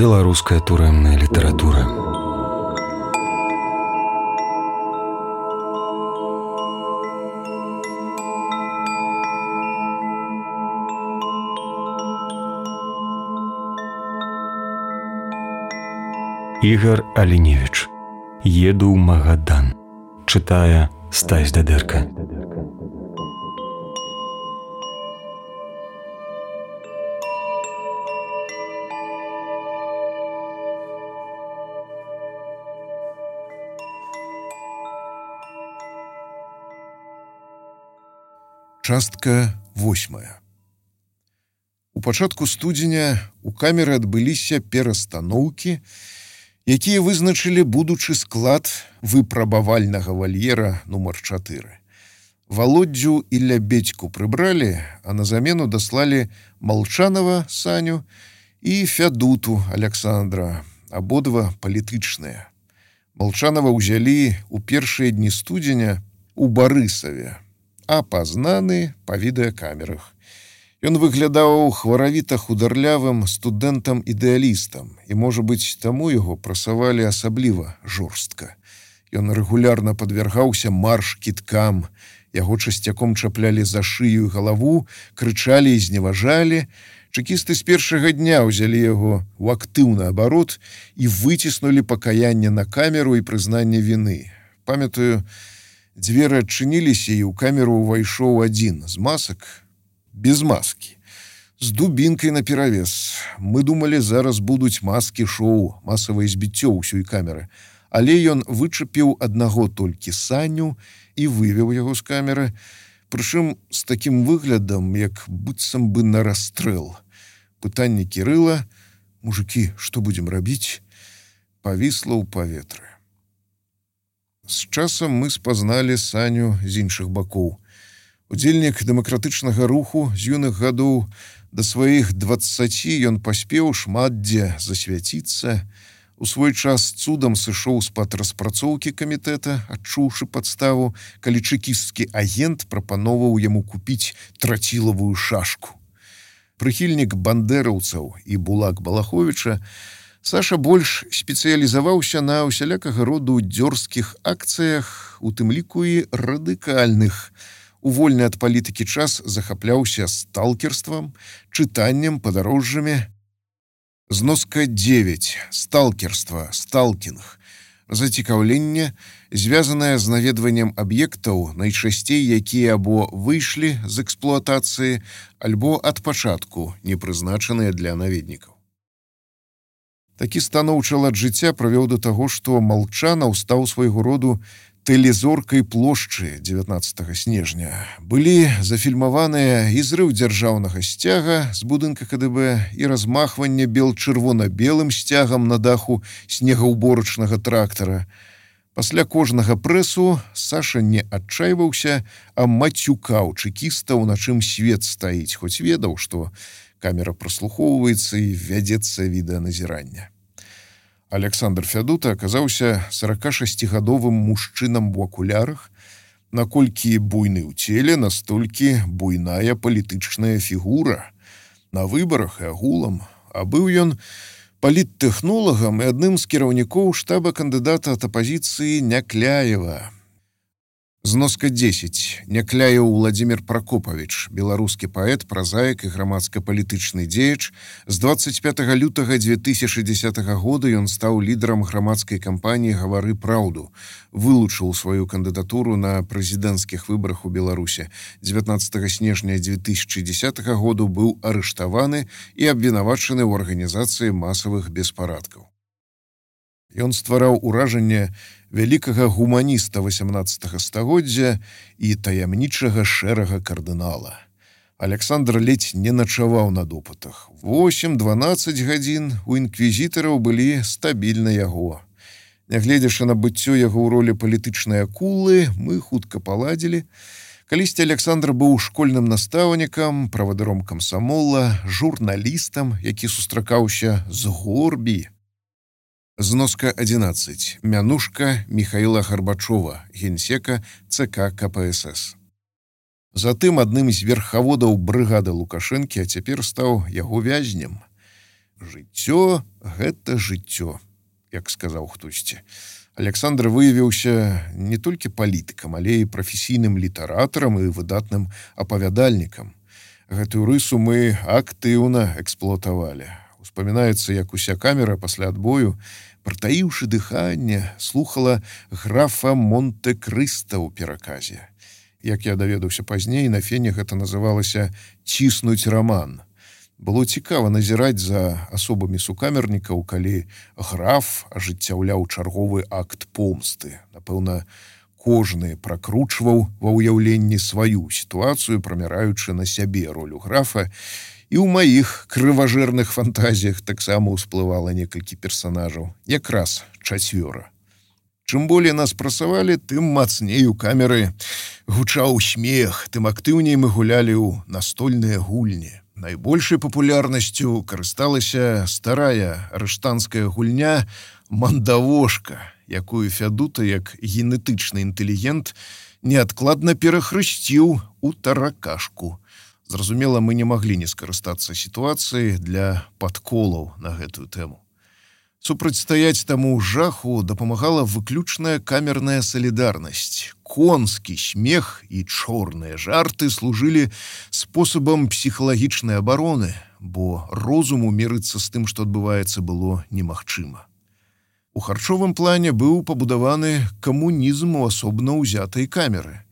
Беларуская турэмная літаратура. Ігар Аліневіч. Еду ў Магадан. Чытае Стась Дадэрка. Частка 8. У пачатку студзеня у камеры адбыліся перастаноўкі, якія вызначылі будучы склад выпрабавальнага вальера нумар 4. Володдзю і Лябедзьку прыбралі, а на замену даслалі Малчанова Саню і Фядуту Александра, абодва палітычныя. Малчанова ўзялі ў першыя дні студзеня у Барысаве, апазнаны па відэакамерах. Ён выглядаў хваравіта-хударлявым студэнтам-ідэалістам, і, можа быць, таму яго прасавалі асабліва жорстка. Ён рэгулярна падвяргаўся марш-кідкам, яго часцяком чаплялі за шыю і галаву, крычалі і зневажалі. Чэкісты з першага дня ўзялі яго ў актыўны абарот і выціснулі пакаянне на камеру і прызнанне віны. Памятаю, дзверы адчыніліся, і ў камеру ўвайшоў адзін з масак, без маскі, з дубінкай наперавес. Мы думалі, зараз будуць маскі-шоу, масавае збіццё ўсёй камеры. Але ён вычапіў аднаго толькі Саню і вывеў яго з камеры, прычым з такім выглядам, як быццам бы на расстрэл. Пытанне Кірыла: «Мужыкі, што будзем рабіць?», павісла ў паветры. З часам мы спазналі Саню з іншых бакоў. Удзельнік дэмакратычнага руху з юных гадоў, да сваіх 20 ён паспеў шмат дзе засвяціцца. У свой час цудам сышоў з-пад распрацоўкі камітэта, адчуўшы падставу, калі чэкісцкі агент прапановаў яму купіць трацілавую шашку. Прыхільнік бандэраўцаў і Булак Балаховіча, Саша больш спецыялізаваўся на ўсялякага роду дзёрзкіх акцыях, у тым ліку і радыкальных. У вольны ад палітыкі час захапляўся сталкерствам, чытаннем, падарожжамі. Зноска 9. Сталкерства, сталкінг. Зацікаўленне, звязанае з наведваннем аб'ектаў, найчасцей якія або выйшлі з эксплуатацыі, альбо ад пачатку не прызначаныя для наведнікаў. Такі станоўчы лад жыцця прывёў да таго, што Малчанаў стаў свайго роду тэлезоркай плошчы 19 снежня. Былі зафільмаваныя і зрыў дзяржаўнага сцяга з будынка КДБ, і размахванне бел-чырвона-белым сцягам на даху снегаўборачнага трактара. Пасля кожнага прэсу Саша не адчайваўся, а мацюкаў чэкістаў, на чым свет стаіць, хоць ведаў, што камера праслухоўваецца і вядзецца відэаназірання. Александр Фядута аказаўся 46-гадовым мужчынам у акулярах. Наколькі буйны ў целе, настолькі буйная палітычная фігура. На выбарах і агулам. А быў ён паліттэхнолагам і адным з кіраўнікоў штаба кандыдата ад апазіцыі Някляева. Зноска 10. Някляеў Владзімір Пракопавіч, беларускі паэт, празаік і грамадска-палітычны дзеяч. З 25 лютага 2010 года ён стаў лідарам грамадскай кампаніі «Гавары праўду». Вылучыў сваю кандыдатуру на прэзідэнцкіх выбарах у Беларусе. 19 снежня 2010 году быў арыштаваны і абвінавачаны ў арганізацыі масавых беспарадкаў. Ён ствараў уражанне вялікага гуманіста 18 стагоддзя і таямнічага шэрага кардынала. Александр ледзь не начаваў на допытах. 8-12 гадзін у інквізітараў былі стабільна яго. Нягледзячы на быццё яго ў ролі палітычнай акулы, мы хутка паладзілі. Калісьці Александр быў школьным настаўнікам, правадыром камсамола, журналістам, які сустракаўся з Горбі. Зноска 11. Мянушка Михаила Гарбачова, генсека ЦК КПСС. Затым адным з верхаводаў брыгады Лукашэнкі, а цяпер стаў яго вязнем. Жыццё гэта жыццё, як сказаў хтосьці. Александр выявіўся не толькі палітыкам, але і прафесійным літаратарам і выдатным апавядальнікам. Гэтую рысу мы актыўна эксплуатавалі. Успамінаецца, як уся камера пасля адбою, прытаіўшы дыханне, слухала графа Монте-Крыста ў пераказе. Як я даведаўся пазней, на фене гэта называлася «ціснуць раман». Было цікава назіраць за асобамі сукамернікаў, калі граф ажыццяўляў чарговы акт помсты. Напэўна, кожны пракручваў ва ўяўленні сваю сітуацыю, прамяраючы на сябе ролю графа, і ў маіх крыважэрных фантазіях таксама ўсплывала некалькі персанажаў, якраз 4. Чым болей нас прасавалі, тым мацней у камеры гучаў смех, тым актыўней мы гулялі ў настольныя гульні. Найбольшай папулярнасцю карысталася старая арыштанская гульня «Мандавошка», якую Фядута, як генетычны інтэлігент, неадкладна перахрысціў у таракашку. Зразумела, мы не маглі не скарыстацца сітуацыяй для падколаў на гэтую тэму. Супрацьстаяць таму жаху дапамагала выключная камерная салідарнасць. Конскі смех і чорныя жарты служылі спосабам псіхалагічнай абароны, бо розуму мірыцца з тым, што адбываецца, было немагчыма. У харчовым плане быў пабудаваны камунізм у асобна ўзятай камеры.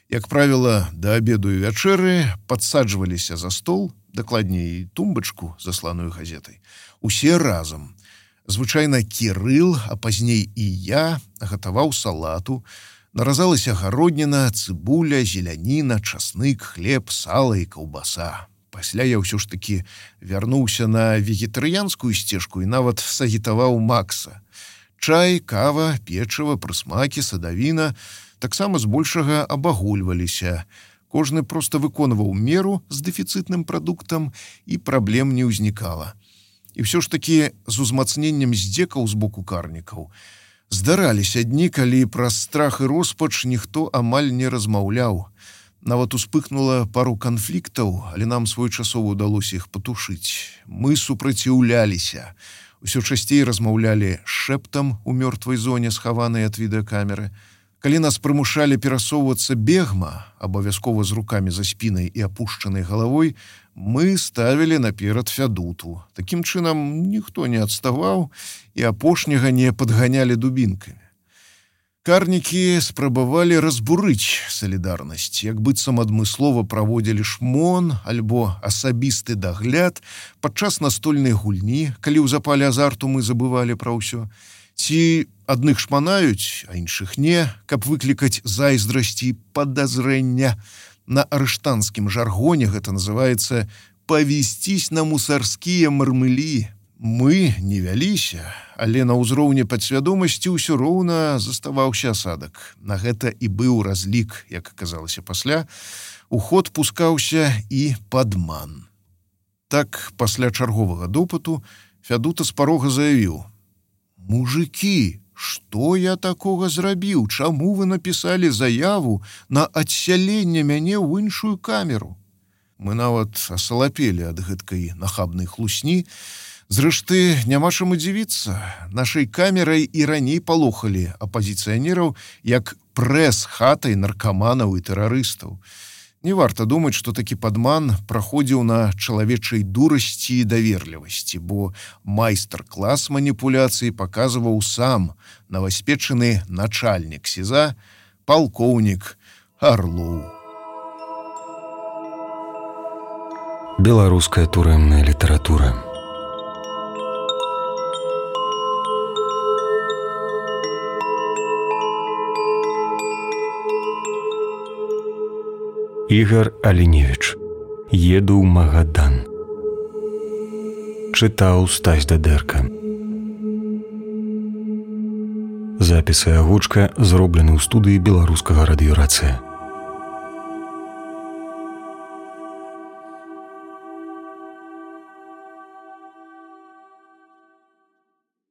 Як правіла, да абеду і вячэры падсаджваліся за стол, дакладней тумбачку, засланую газетай, усе разам. Звычайна Кірыл, а пазней і я гатаваў салату, наразалася гародніна, цыбуля, зеляніна, часнык, хлеб, сала і каўбаса. Пасля я ўсё ж такі вярнуўся на вегетарыянскую сцежку і нават сагітаваў Макса. Чай, кава, печыва, прысмакі, садавіна таксама збольшага абагульваліся. Кожны проста выконваў меру з дэфіцытным прадуктам, і праблем не ўзнікала. І ўсё ж такі з узмацненнем здзекаў з боку карнікаў здараліся дні, калі праз страх і роспач ніхто амаль не размаўляў. Нават успыхнула пару канфліктаў, але нам своечасова ўдалося іх патушыць. Мы супраціўляліся. Усё часцей размаўлялі шэптам у мёртвай зоне, схаванай ад відэакамеры. Калі нас прымушалі перасоўвацца бегма, абавязкова з рукамі за спінай і апушчанай галавой, мы ставілі наперад Фядуту. Такім чынам ніхто не адставаў і апошняга не падганялі дубінкамі. Карнікі спрабавалі разбурыць салідарнасць, як быццам адмыслова праводзілі шмон альбо асабісты дагляд падчас настольнай гульні, калі ў запале азарту мы забывалі пра ўсё. Ці адных шманаюць, а іншых не, каб выклікаць зайздрасці і падазрэння. На арыштанскім жаргоне гэта называецца «павесцісь на мусарскія мармылі». Мы не вяліся, але на ўзроўні падсвядомасці ўсё роўна заставаўся асадак. На гэта і быў разлік, як аказалася пасля. У ход пускаўся і падман. Так, пасля чарговага допыту Фядута з парога заявіў: «Мужыкі, што я такога зрабіў? Чаму вы напісалі заяву на адсяленне мяне ў іншую камеру?» Мы нават асалапелі ад гэткай нахабнай хлусні. Зрэшты, няма чаму дзівіцца. Нашай камерай і раней палохалі апазіцыянераў як прэс-хатай наркаманаў і тэрарыстаў. Не варта думаць, што такі падман праходзіў на чалавечай дурасці і даверлівасці, бо майстар-клас маніпуляцыі паказваў сам новаспечаны начальнік СІЗА, палкоўнік Арлоў. Беларуская турэмная літаратура. Ігар Аліневіч. Еду ў Магадан. Чытаў Стась Дадэрка. Запісы агучка зроблены ў студыі беларускага радыёрацыя.